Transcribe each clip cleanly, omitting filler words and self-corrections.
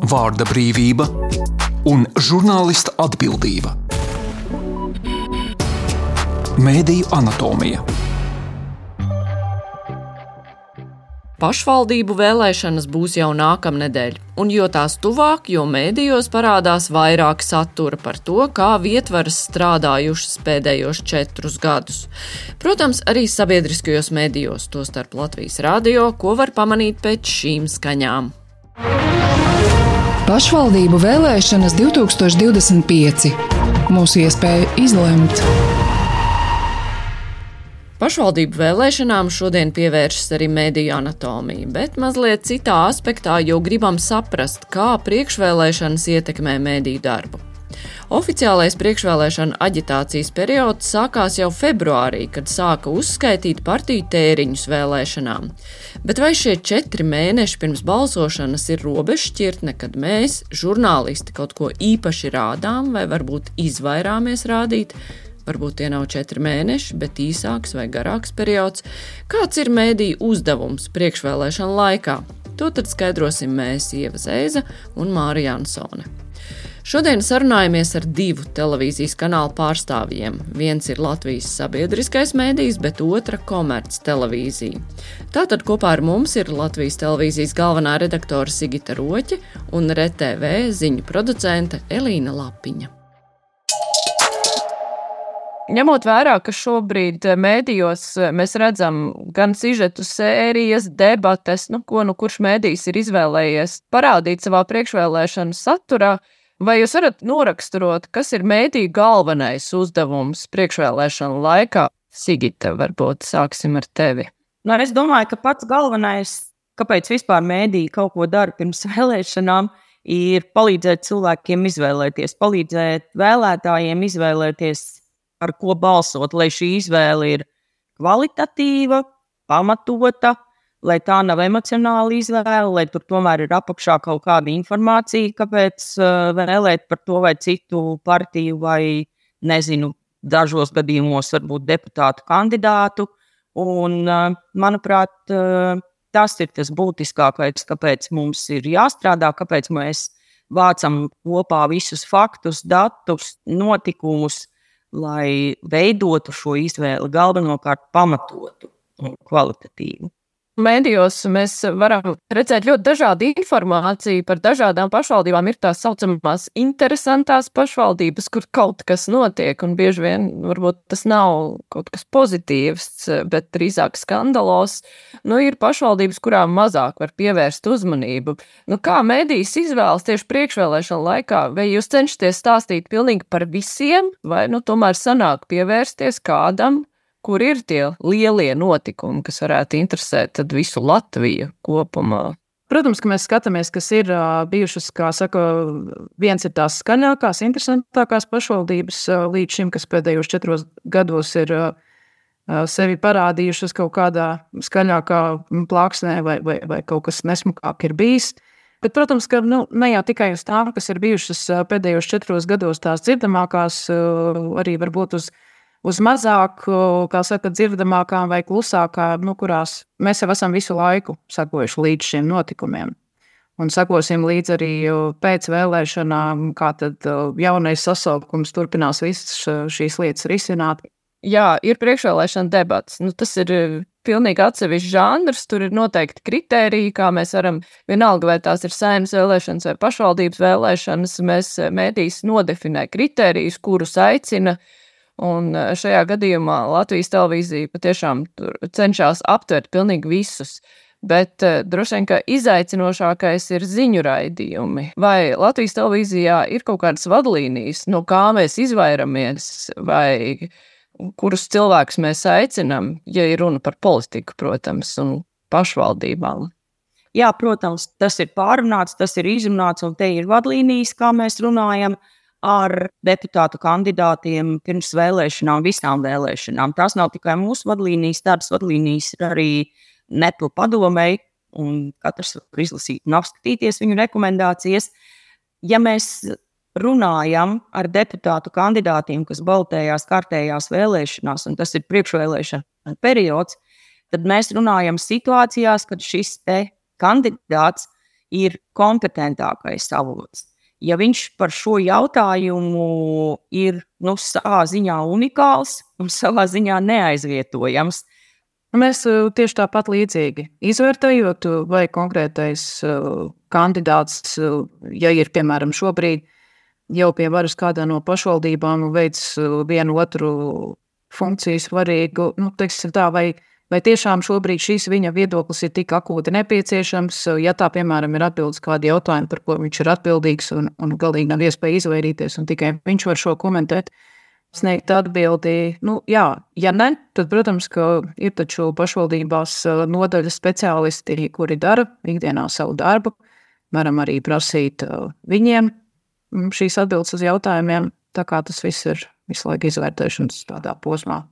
vārda brīvība un žurnālista atbildība. Mēdīju anatomija. Pašvaldību vēlēšanas būs jau nākamnedēļ, un jo tās tuvāk, jo mēdījos parādās vairāk satura par to, kā vietvaras strādājušas pēdējos 4 gadus. Protams, arī sabiedriskajos mēdījos, tostarp Latvijas radio, ko var pamanīt pēc šīm skaņām. Pašvaldību vēlēšanas 2025. Mūsu iespēja izlemt. Pašvaldību vēlēšanām šodien pievēršas arī mēdīju anatomija, bet mazliet citā aspektā, jo gribam saprast, kā priekšvēlēšanas ietekmē mēdīju darbu. Oficiālais priekšvēlēšana aģitācijas periods sākās jau februārī, kad sāka uzskaitīt partiju tēriņus vēlēšanām. Bet vai šie 4 mēneši pirms balsošanas ir robežšķirtne, kad mēs, žurnālisti, kaut ko īpaši rādām vai varbūt izvairāmies rādīt? Varbūt tie nav 4 mēneši, bet īsāks vai garāks periods. Kāds ir mēdīju uzdevums priekšvēlēšana laikā? To tad skaidrosim mēs, Ieva Zeiza un Māra Jansone. Šodien sarunājamies ar 2 televīzijas kanālu pārstāvjiem. Viens ir Latvijas sabiedriskais mēdījis, bet otra komerc televīzija. Tātad kopā ar mums ir Latvijas televīzijas galvenā redaktore Sigita Roķe un RTV ziņu producente Elīna Lapiņa. Ņemot vērā, ka šobrīd mēdījos mēs redzam gan sižetu sērijas, debates, kurš mēdījis ir izvēlējies parādīt savā priekšvēlēšanu saturā, vai jūs varat noraksturot, kas ir mēdīju galvenais uzdevums priekšvēlēšanu laikā? Sigita, varbūt sāksim ar tevi. Es domāju, ka pats galvenais, kāpēc vispār mēdīji kaut ko dara pirms vēlēšanām, ir palīdzēt cilvēkiem izvēlēties, palīdzēt vēlētājiem izvēlēties, ar ko balsot, lai šī izvēle ir kvalitatīva, pamatota, lai tā nav emocionāla izvēle, lai tur tomēr ir apakšā kaut kāda informācija, kāpēc vēlēt par to vai citu partiju vai, dažos gadījumos varbūt deputātu kandidātu. Un, manuprāt, tas ir tas būtiskākais, kāpēc mums ir jāstrādā, kāpēc mēs vācam kopā visus faktus, datus, notikumus, lai veidotu šo izvēli galvenokārt pamatotu un kvalitatīvu. Mēdījos mēs varam redzēt ļoti dažādu informāciju par dažādām pašvaldībām. Ir tās saucamās interesantās pašvaldības, kur kaut kas notiek, un bieži vien varbūt tas nav kaut kas pozitīvs, bet drīzāk skandalos. Ir pašvaldības, kurām mazāk var pievērst uzmanību. Kā mēdījis izvēlas tieši priekšvēlēšana laikā? Vai jūs cenšaties stāstīt pilnīgi par visiem, vai tomēr sanāk pievērsties kādam, kur ir tie lielie notikumi, kas varētu interesēt tad visu Latviju kopumā? Protams, ka mēs skatāmies, kas ir bijušas, kā saka, viens ir tās skaļākās, interesantākās pašvaldības līdz šim, kas pēdējos 4 gados ir sevi parādījušas kaut kādā skaļākā plāksnē vai kaut kas nesmukāk ir bijis. Bet, protams, ka ne jau tikai uz tām, kas ir bijušas pēdējos 4 gados tās dzirdamākās, arī varbūt uz mazāk, kā saka, dzirdamākām vai klusākām, kurās mēs jau esam visu laiku sakojuši līdz šiem notikumiem. Un sakosim līdz arī pēc vēlēšanām, kā tad jaunais sasaukums turpinās visas šīs lietas risināt. Jā, ir priekšvēlēšana debats. Tas ir pilnīgi atsevišķs žanrs, tur ir noteikti kritēriji, kā mēs varam, vienalga vai tās ir saeimas vēlēšanas vai pašvaldības vēlēšanas, mēs mēdījis nodefinē kritērijus, kurus aicina. Un šajā gadījumā Latvijas televīzija patiešām cenšas aptvert pilnīgi visus, bet droši vien, ka izaicinošākais ir ziņu raidījumi. Vai Latvijas televīzijā ir kaut kādas vadlīnijas, no kā mēs izvairamies, vai kurus cilvēkus mēs aicinām, ja ir runa par politiku, protams, un pašvaldībām? Jā, protams, tas ir pārunāts, tas ir izrunāts, un te ir vadlīnijas, kā mēs runājam ar deputātu kandidātiem pirms vēlēšanām, visām vēlēšanām. Tās nav tikai mūsu vadlīnijas, tādas vadlīnijas ir arī NEPL padomei, un katrs var izlasīt un apskatīties viņu rekomendācijas. Ja mēs runājam ar deputātu kandidātiem, kas balotējās kārtējās vēlēšanās, un tas ir priekšvēlēšana periods, tad mēs runājam situācijās, kad šis te kandidāts ir kompetentākais avots. Ja viņš par šo jautājumu ir savā ziņā unikāls un savā ziņā neaizvietojams. Mēs tieši tāpat līdzīgi izvērtējot, vai konkrētais kandidāts, ja ir, piemēram, šobrīd jau pie varas kādā no pašvaldībām veids vienu otru funkciju svarīgu, teiksim tā, vai tiešām šobrīd šīs viņa viedoklis ir tik akūti nepieciešams, ja tā, piemēram, ir atbildes kādi jautājumi, par ko viņš ir atbildīgs un galīgi nav iespēja izvairīties, un tikai viņš var šo komentēt, sniegt atbildi. Jā, ja ne, tad, protams, ka ir taču pašvaldībās nodaļas speciālisti, kuri dara ikdienā savu darbu, varam arī prasīt viņiem šīs atbildes uz jautājumiem, tā kā tas viss ir visu laiku izvērtēšanas tādā posmā.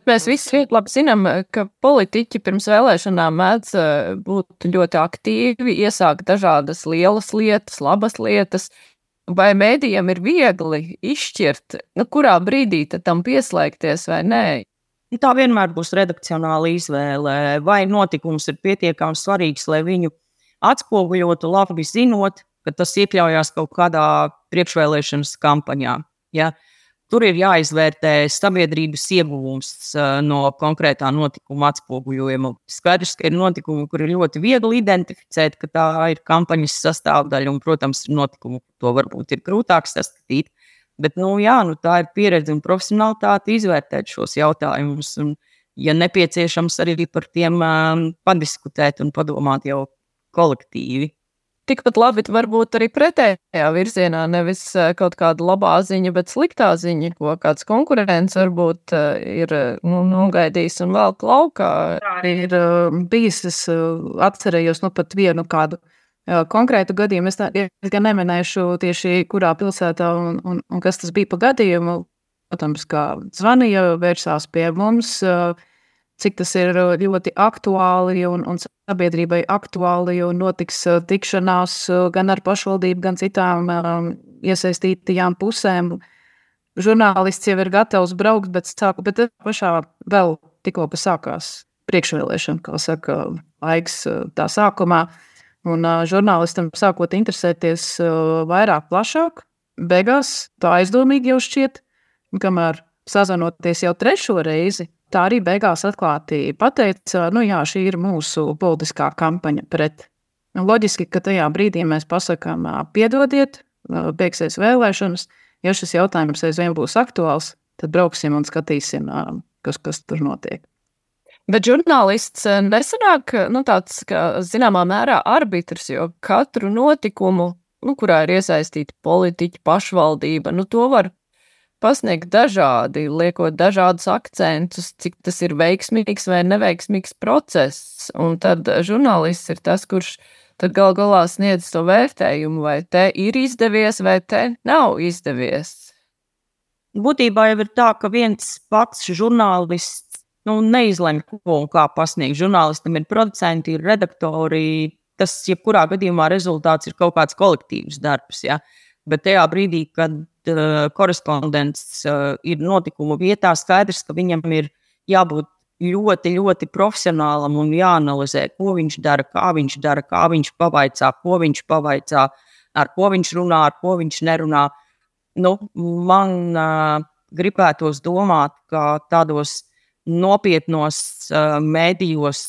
Mēs visi labi zinām, ka politiķi pirms vēlēšanām mēdz būt ļoti aktīvi, iesākt dažādas lielas lietas, labas lietas. Vai mēdījiem ir viegli izšķirt, kurā brīdī tam pieslēgties vai nē? Tā vienmēr būs redakcionāla izvēle. Vai notikums ir pietiekami svarīgs, lai viņu atspoguļotu, labi zinot, ka tas iekļaujās kaut kādā priekšvēlēšanas kampaņā. Ja? Tur ir jāizvērtē sabiedrības ieguvums no konkrētā notikuma atspoguļojuma. Skaidrs, ka ir notikumi, kur ir ļoti viegli identificēt, ka tā ir kampaņas sastāvdaļa, un, protams, ir notikumi, to varbūt ir grūtāk saskatīt. Bet, tā ir pieredze un profesionalitāte izvērtēt šos jautājumus, un, ja nepieciešams, arī par tiem padiskutēt un padomāt jau kolektīvi. Tikpat labi varbūt arī pretējā virzienā, nevis kaut kāda labā ziņa, bet sliktā ziņa, ko kāds konkurents varbūt ir nogaidījis un vēl klaukā. Arī ir bijis, es atcerējos pat vienu kādu konkrētu gadījumu. Es gan neminēšu tieši kurā pilsētā un kas tas bija pa gadījumu. Protams, kā zvanīja, vērsās pie mums, cik tas ir ļoti aktuāli un sabiedrībai aktuāli, un notiks tikšanās gan ar pašvaldību, gan citām iesaistītajām pusēm. Žurnālists jau ir gatavs braukt, bet pašā vēl tikko sākās priekšvēlēšana, kā saka, laiks tā sākumā. Un žurnālistam sākot interesēties vairāk, plašāk, beigās tā aizdomīgi jau šķiet, kamēr sazvanoties jau 3. reizi, tā arī beigās atklāti pateica, jā, šī ir mūsu politiskā kampaņa pret. Loģiski, ka tajā brīdī mēs pasakām, piedodiet, beigsies vēlēšanas, ja šis jautājums aizvien būs aktuāls, tad brauksim un skatīsim, kas tur notiek. Bet žurnālists nesanāk tāds, ka zināmā mērā arbitrs, jo katru notikumu, kurā ir iesaistīti politiķi, pašvaldība, to var pasniegt dažādi, liekot dažādus akcentus, cik tas ir veiksmīgs vai neveiksmīgs process. Un tad žurnālists ir tas, kurš tad gal galā sniedz to vērtējumu, vai te ir izdevies, vai te nav izdevies. Būtībā jau ir tā, ka viens pats žurnālists neizlemj, ko un kā pasniegt. Žurnālistam ir producenti, ir redaktori. Tas, jebkurā gadījumā, rezultāts ir kaut kāds kolektīvs darbs. Ja? Bet tajā brīdī, kad korespondents ir notikumu vietā, skaidrs, ka viņam ir jābūt ļoti, ļoti profesionālam un jāanalizē, ko viņš dara, kā viņš pavaicā, ko viņš pavaicā, ar ko viņš runā, ar ko viņš nerunā. Man gribētos domāt, ka tādos nopietnos mēdījos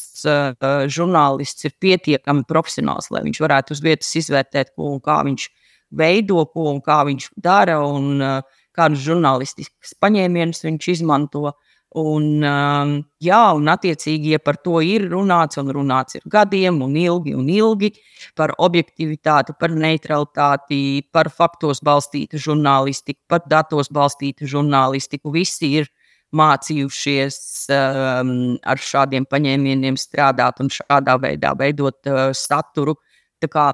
žurnālists ir pietiekami profesionāls, lai viņš varētu uz vietas izvērtēt, ko un kā viņš veido, ko un kā viņš dara, un kādus žurnālistiskus paņēmienus viņš izmanto. Un attiecīgi, ja par to ir runāts, un runāts ir gadiem un ilgi, par objektivitāti, par neutralitāti, par faktos balstītu žurnālistiku, par datos balstītu žurnālistiku, visi ir mācījušies ar šādiem paņēmieniem strādāt un šādā veidā veidot saturu. Tā kā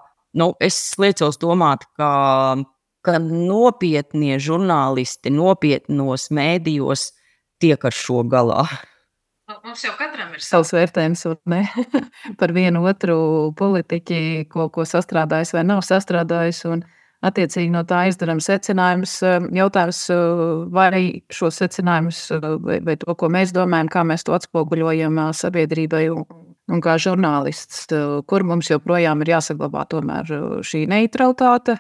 es liecos domāt, ka nopietnie žurnālisti nopietnos mēdījos tiek ar šo galā. Mums jau katram ir savs vērtējums par vienu otru politiķi, ko sastrādājis vai nav sastrādājis, un attiecīgi no tā izdarām secinājumus. Jautājums, vai šos secinājumus, vai to, ko mēs domājam, kā mēs to atspoguļojam sabiedrībai, un kā žurnālists, kur mums joprojām ir jāsaglabā tomēr šī neutralitāte.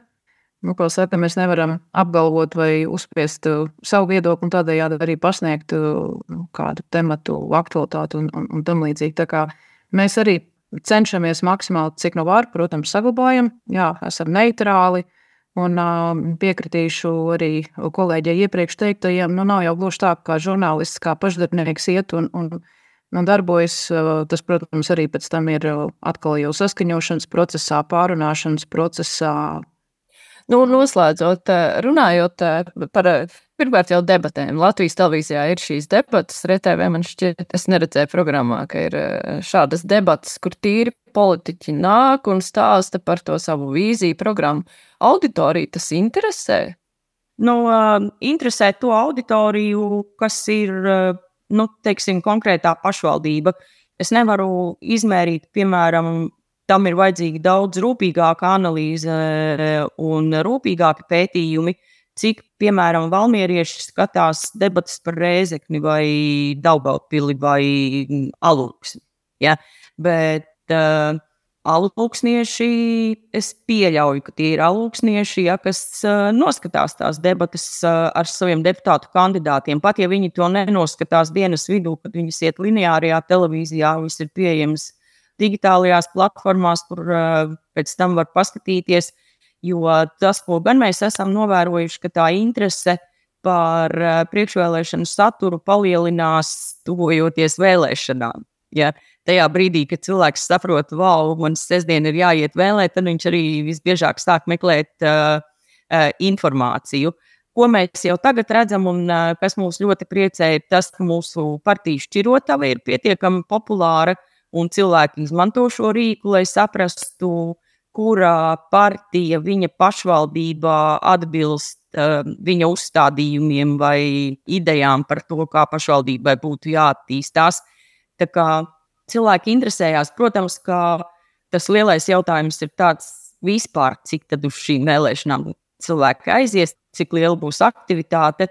Ko saka, mēs nevaram apgalvot vai uzspiest savu viedokli un tādējādi arī pasniegt kādu tematu aktualitāti un tam līdzīgi. Tā kā mēs arī cenšamies maksimāli, cik no var, protams, saglabājam. Jā, esam neitrāli un piekritīšu arī kolēģei iepriekš teiktajiem. Nav jau gluži tā, kā žurnālists, kā pašdarbnieks iet un darbojas. Tas, protams, arī pēc tam ir atkal jau saskaņošanas procesā, pārunāšanas procesā. Noslēdzot, runājot par pirmkārt jau debatēm. Latvijas televīzijā ir šīs debatas, RTV man šķiet, es neredzēju programmā, ka ir šādas debatas, kur tīri politiķi nāk un stāsta par to savu vīziju, programmu. Auditoriju tas interesē? Interesē to auditoriju, kas ir, teiksim, konkrētā pašvaldība. Es nevaru izmērīt, piemēram, tam ir vajadzīga daudz rūpīgāka analīze un rūpīgāki pētījumi, cik, piemēram, valmierieši skatās debatas par Rēzekni vai Daugavpili vai Alūksni. Ja? Bet alūksnieši, es pieļauju, ka tie ir alūksnieši, kas noskatās tās debatas ar saviem deputātu kandidātiem. Pat ja viņi to nenoskatās dienas vidū, kad viņas iet lineārajā televīzijā, viņas ir pieejamas digitālajās platformās, kur pēc tam var paskatīties, jo tas, ko gan mēs esam novērojuši, ka tā interese par priekšvēlēšanu saturu palielinās tuvojoties vēlēšanām. Ja? Tajā brīdī, kad cilvēks saprot, man sestdien ir jāiet vēlēt, tad viņš arī visbiežāk sāk meklēt informāciju. Ko mēs jau tagad redzam un kas mūs ļoti priecē, ir tas, ka mūsu partiju šķirotava ir pietiekami populāra, un cilvēki izmanto šo rīku, lai saprastu, kurā partija viņa pašvaldībā atbilst viņa uzstādījumiem vai idejām par to, kā pašvaldībai būtu jāattīstās. Tā kā cilvēki interesējās, protams, ka tas lielais jautājums ir tāds vispār, cik tad uz šīm vēlēšanām cilvēki aizies, cik liela būs aktivitāte.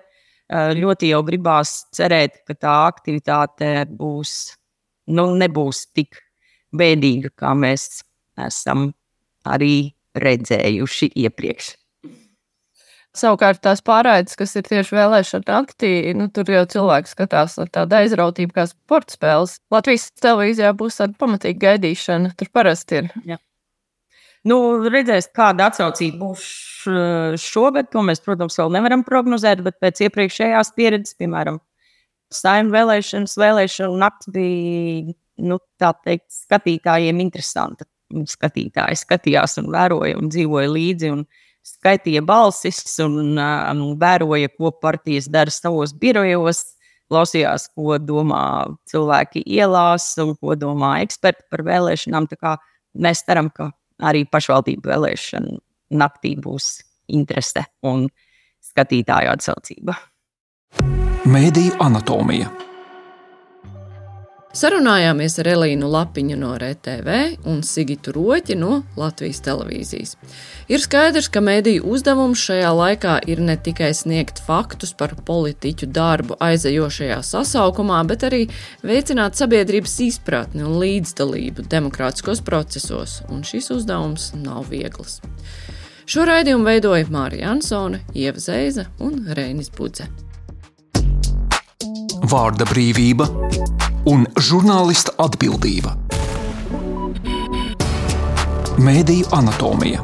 Ļoti jau gribās cerēt, ka tā aktivitāte būs nebūs tik bēdīga, kā mēs esam arī redzējuši iepriekš. Savukārt tās pārraides, kas ir tieši vēlēšana naktī, tur jau cilvēks skatās ar tādu aizrautību kā sporta spēles. Latvijas televīzijā būs tāda pamatīga gaidīšana, tur parasti ir. Jā. Redzēs, kāda atsaucība būs šogad, to mēs, protams, vēl nevaram prognozēt, bet pēc iepriekšējās pieredzes, piemēram, Saeimu vēlēšanu nakts bija, tā teikt, skatītājiem interesanta. Skatītāji skatījās un vēroja un dzīvoja līdzi un skaitīja balsis un vēroja, ko partijas dara savos birojos, klausījās, ko domā cilvēki ielās un ko domā eksperti par vēlēšanām. Tā kā mēs ceram, ka arī pašvaldību vēlēšanu naktī būs interese un skatītāju atsaucība. Mēdīju anatomija. Sarunājāmies ar Elīnu Lapiņu no RTV un Sigitu Roķi no Latvijas televīzijas. Ir skaidrs, ka mēdīju uzdevums šajā laikā ir ne tikai sniegt faktus par politiķu darbu aizejošajā sasaukumā, bet arī veicināt sabiedrības izpratni un līdzdalību demokrātiskos procesos, un šis uzdevums nav viegls. Šo raidījumu veidoja Mārija Ansone, Ieva Zeiza un Reinis Budze. Vārda brīvība un žurnālista atbildība. Mēdīju anatomija.